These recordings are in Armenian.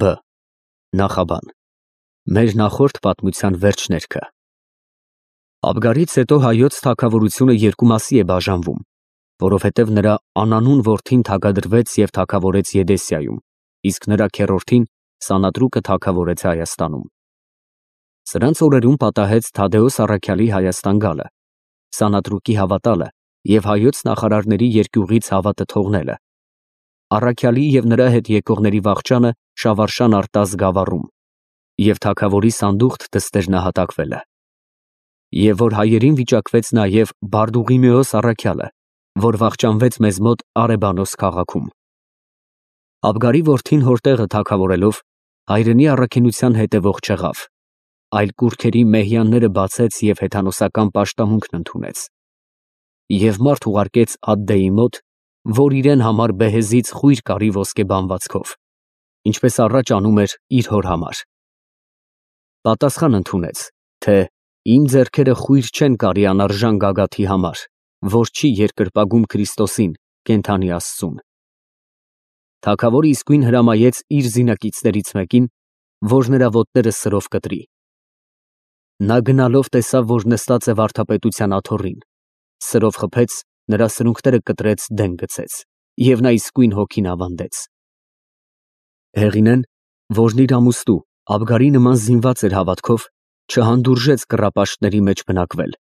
Բ. Նախաբան։ Մեր նախորդ պատմության վերջներքը։ Աբգարից հետո հայոց թագավորությունը երկու մասի է բաժանվում, որովհետև նրա անանուն որդին թագադրվեց և թագավորեց Եդեսիայում, իսկ նրա քեռորդին Սանատրուկը թագավորեց Հայաստանում։ Սրանց օրերում պատահեց Թադեոս առաքյալի Հայաստան գալը, Սանատրուկի հավատալը և հայոց նախարարների երկյուղից հավատը թողնելը, առաքյալի և նրա հետ եկողների վախճանը Շավարշան արտազ գավառում և թագավորի սանդուղթ դստեր նահատակվելը։ Եվ որ հայերին վիճակվեց նաև Բարդուղիմեոս առաքյալը, որ վախճանվեց մեզ մոտ Արեբանոս քաղաքում։ Աբգարի որդին հորտեղը թագավորելով հայրենի առաքինության հետևող չեղավ, այլ կուռքերի մեհյանները բացեց և հեթանոսական պաշտամունքն ընդունեց։ Եվ մարդ ուղարկեց Ադդեի մոտ, որ իրեն համար բեհեզից խույր կարի ոսկեբանվածքով, ինչպես առաջ անում էր իր հոր համար։ Պատասխան ընդունեց, թե իմ ձեռքերը խույր չեն կարի անարժան գագաթի համար, որ չի երկրպագում Քրիստոսին, կենդանի Աստծուն։ Թագավորը իսկույն հրամայեց իր զինակիցներից մեկին, որ նրա ոտները սրով կտրի։ Նա գնալով տեսավ, որ նստած է վարդապետության աթոռին, սրով խփեց, նրա սրունքները կտրեց, դեն գցեց, և նա իսկույն հոգին ավանդեց։ Հեղինեն, որն իր ամուստու Աբգարի նման զինված էր հավատքով, չհանդուրժեց կռապաշտների մեջ բնակվել,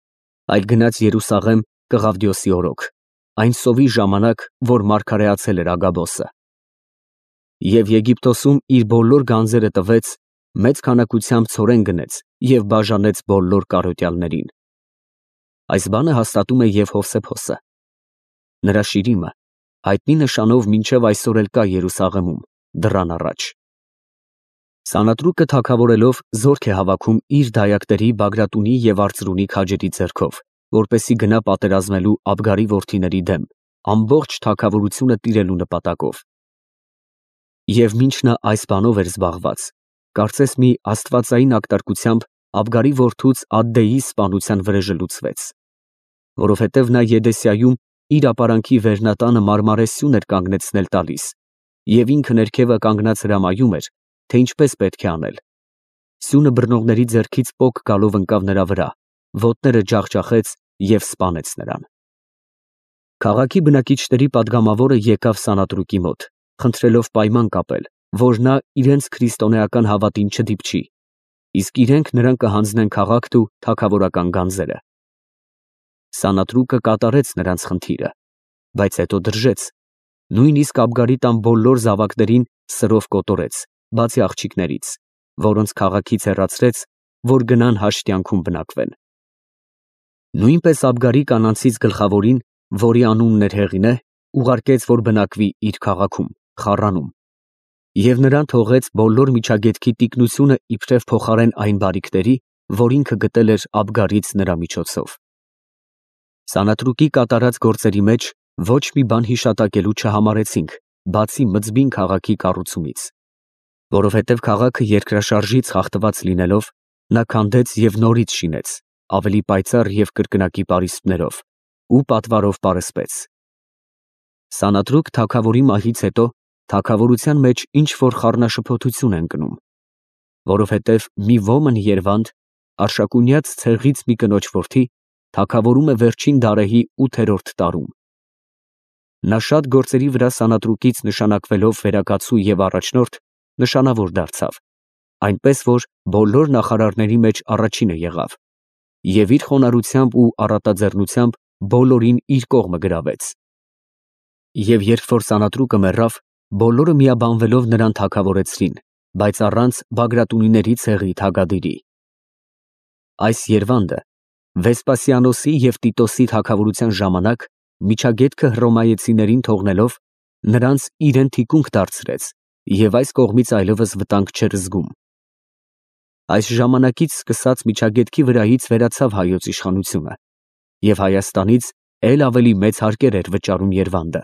այլ գնաց Երուսաղեմ Կղավդիոսի օրոք, այն սովի ժամանակ, որ մարգարեացել էր Ագաբոսը։ Եվ Եգիպտոսում իր բոլոր գանձերը տվեց, մեծ քանակությամբ ցորեն գնեց և բաժանեց բոլոր կարոտյալներին։ Այս բանը հաստատում է և Հովսեփոսը։ Նրա շիրիմը հայտնի նշանով մինչև այսօր էլ կա Երուսաղեմում, դռան առաջ։ Սանատրուկը թագավորելով զորք է հավաքում իր դայակների Բագրատունի և Արծրունի քաջերի ձեռքով, որպեսզի գնա պատերազմելու Աբգարի որդիների դեմ, ամբողջ թագավորությունը տիրելու նպատակով։ Եվ մինչ նա այս բանով էր զբաղված, կարծես մի աստվածային ակտարկությամբ Աբգարի որդուց Ադդեի սպանության վրեժը լուծվեց, որովհետև նա Եդեսիայում իր ապարանքի վերնատանը մարմարեսյուն էր կանգնեցնել տալիս, և ինքը ներքևը կանգնած հրամայում էր, թե ինչպես պետք է անել։ Սյունը բռնողների ձեռքից պոկ գալով ընկավ նրա վրա, ոտները ջախջախեց և սպանեց նրան։ Քաղաքի բնակիչների падգամավորը եկավ Սանատրուկի մոտ, խնդրելով պայման կապել, որ նա իրենց քրիստոնեական հավատին չդիպչի, իսկ իրենք նրան կհանձնեն քաղաքն ու թագավորական գանձերը։ Սանատրուկը կատարեց նրանց խնդիրը, բայց հետո դրժեց, նույնիսկ Աբգարի տան բոլոր զավակներին սրով կոտորեց, բացի աղջիկներից, որոնց քաղաքից հեռացրեց, որ գնան հաշտյանքում բնակվեն։ Նույնպես Աբգարի կանանցից գլխավորին, որի անունն էր Հեղինե, ուղարկեց, որ բնակվի իր քաղաքում, Խառանում, և նրան թողեց բոլոր միջագետքի տիկնությունը իբրև փոխարեն այն բարիքների, որ ինքը գտել էր Աբգարից նրա միջոցով։ Սանատրուկի կատարած գործերի մեջ ոչ մի բան հիշատակելու չհամարեցինք, բացի Մզբին քաղաքի կառուցումից, որովհետև քաղաքը երկրաշարժից խախտված լինելով, նա քանդեց և նորից շինեց, ավելի պայծառ և կրկնակի պարիսպներով ու պատվարով պարսպեց։ Սանատրուկ թագավորի մահից հետո թագավորության մեջ ինչ-որ խառնաշփոթություն է ընկնում, որովհետև մի ոմն Երվանդ, Արշակունյաց ցեղից մի կնոջ որդի, թագավորում է վերջին դարեհի 8-րդ տարում։ Նա շատ գործերի վրա Սանատրուկից նշանակվելով վերակացու և առաջնորդ, նշանավոր դարձավ, այնպես որ բոլոր նախարարների մեջ առաջինը եղավ, և իր խոնարհությամբ ու առատաձեռնությամբ բոլորին իր կողմը գրավեց։ Եվ երբ որ Սանատրուկը մեռավ, բոլորը միաբանվելով նրան թագավորեցրին, բայց առանց Բագրատունիների ցեղի թագադիրի։ Այս Երվանդը Վեսպասիանոսի և Տիտոսի թագավորության ժամանակ միջագետքը հռոմայեցիներին թողնելով, նրանց իրեն թիկունք դարձրեց և այս կողմից այլևս վտանգ չէր զգում։ Այս ժամանակից սկսած միջագետքի վրայից վերացավ հայոց իշխանությունը, և Հայաստանից էլ ավելի մեծ հարկեր էր վճարում Երվանդը։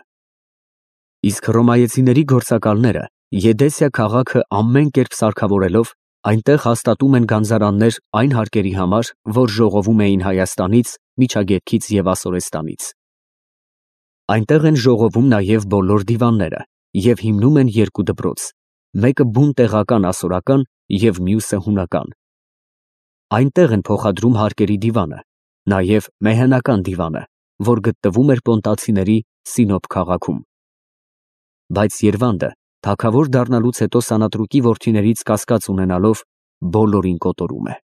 Իսկ հռոմայեցիների գործակալները Եդեսիա քաղաքը ամեն կերպ սարքավորելով, այնտեղ հաստատում են գանձարաններ այն հարկերի համար, որ ժողովում էին Հայաստանից, Միջագետքից և Ասորեստանից։ Այնտեղ են ժողովում նաև բոլոր դիվանները և հիմնում են երկու դպրոց, մեկը բուն տեղական ասորական և մյուսը հունական։ Այնտեղ են փոխադրում հարկերի դիվանը, նաև մեհենական դիվանը, որ գտնվում էր պոնտացիների Սինոփ քաղաքում։ Բայց Երվանդը թագավոր դառնալուց հետո Սանատրուկի որդիներից կասկած ունենալով բոլորին կոտորում է։